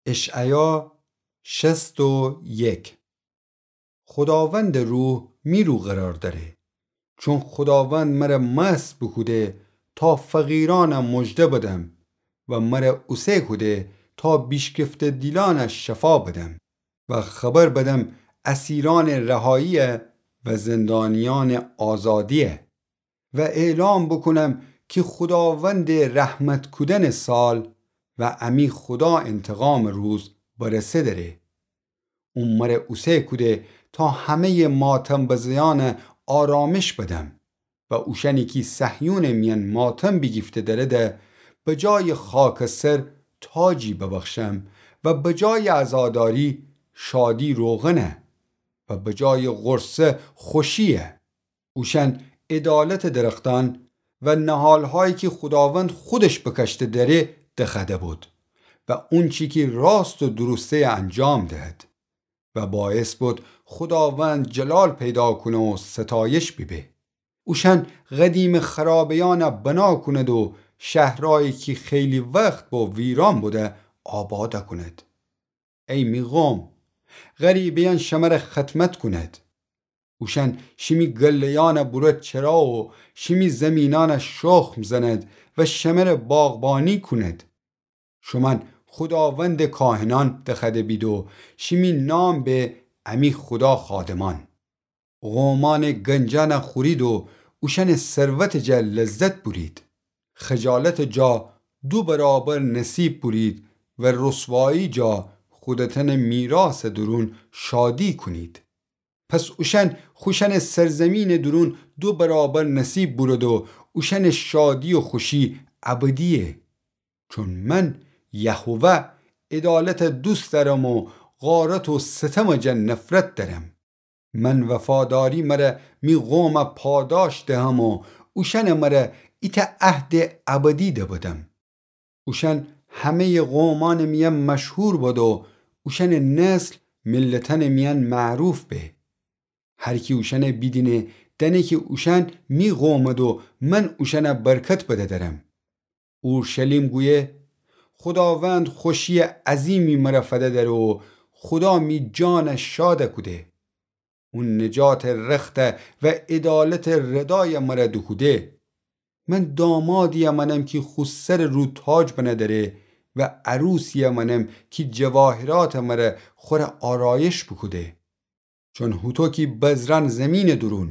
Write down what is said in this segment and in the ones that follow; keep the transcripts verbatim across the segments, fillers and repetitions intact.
اشعیا شصت و یک. خوداوندٚ روح می رو قرار دأره، چون خوداوند مرَ مسح بوکوده تا فقیرأنَ مژده بدم و مرَ اوسه کوده تا بیشکفته دیلأنَ شفا بدم و خبر بدم اسیرأنٚ رهایی و زندانیأنٚ آزادی و اعلام بوکونم کی خوداوندٚ رحمت کودنٚ سال و امی خودا انتقامٚ روز برسه دره. او مرَ اوسه کوده تا همه‌یٚ ماتم بزه‌یأنَ آرامش بدم و اوشأنی کی صهیونٚ میأن ماتم بیگیفته درده، بجایٚ خاکٚ سر تاجی ببخشم و بجایٚ عزاداری شادی روغنَ و بجایٚ غورصه خوشیَ. اوشأن عدالتٚ درختأن و نهالهایی کی خوداوند خودش بکشته دره دخوأده بود و اونچی کی راست و درسته‌یَ انجام دهد و باعث بود خوداوند جلال پیدا کونه و ستایش بیبه. اوشأن قدیمٚ خرابه‌یأنَ بنا کونید و شهرأیی کی خیلی وخت بو ویران بوده آباد کونید. ای می قوم، غریبه‌یأن شمرَ خدمت کونید. اوشأن شیمی گله‌یأنَ بورد چرا و شیمی زیمینأنَ شخم زند و شمرَ باغبانی کونید. شومأن خوداوندٚ کاهنأن دخوأده بید و شیمی نام به امی خودا خادمأن. قومأنٚ گنجأنَ خورید و اوشأنٚ ثروتٚ جا لذت بورید. خجالتٚ جا دو برابر نصیب بورید و رسوایی جا خودتأنٚ میراثٚ دورون شادی کونید. پس اوشأن خوشأنٚ سرزیمینٚ دورون دو برابر نصیب بورد و اوشأنٚ شادی و خوشی ابدیه. چون من، یهوه، عدالتَ دوست دأرم و غارت و ستمٚ جا نفرت دأرم. من وفاداری مرَ می قومَ پاداش دهم و اوشأنٚ مرَ ایتأ عهدٚ ابدی دبدم. اوشأن همه‌یٚ قومأنٚ میأن مشهور بد و اوشأنٚ نسل ملتأنٚ میأن معروف به. هر کی اوشأنَ بیدینه دأنه کی اوشأن می قومد و من اوشأنَ برکت بده درم. اورشلیم گویه: خوداوند خوشیٚ عظیمی مرَ فده دره و خودا می جانَ شادَ کوده. او نجاتٚ رختَ و عدالتٚ ردایَ مرَ دوکوده. من دامادی‌یَ مأنم کی خو سرٚ رو تاج بنه دره و عروسی‌یَ مأنم کی جواهراتٚ مرَ خورَ آرایش بوکوده. چون هوطو کی بذرأن زیمینٚ دورون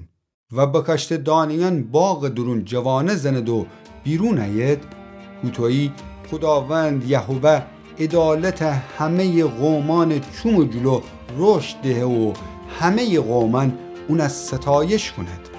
و بکاشته دانه‌یأن باغٚ دورون جوانه زند و بیرون أید، هوطویی خوداوند یهوه عدالتَ همه‌یٚ قومأنٚ چومٚ جلو رشد دهه و همه‌یٚ قومأن اونَ ستایش کونید.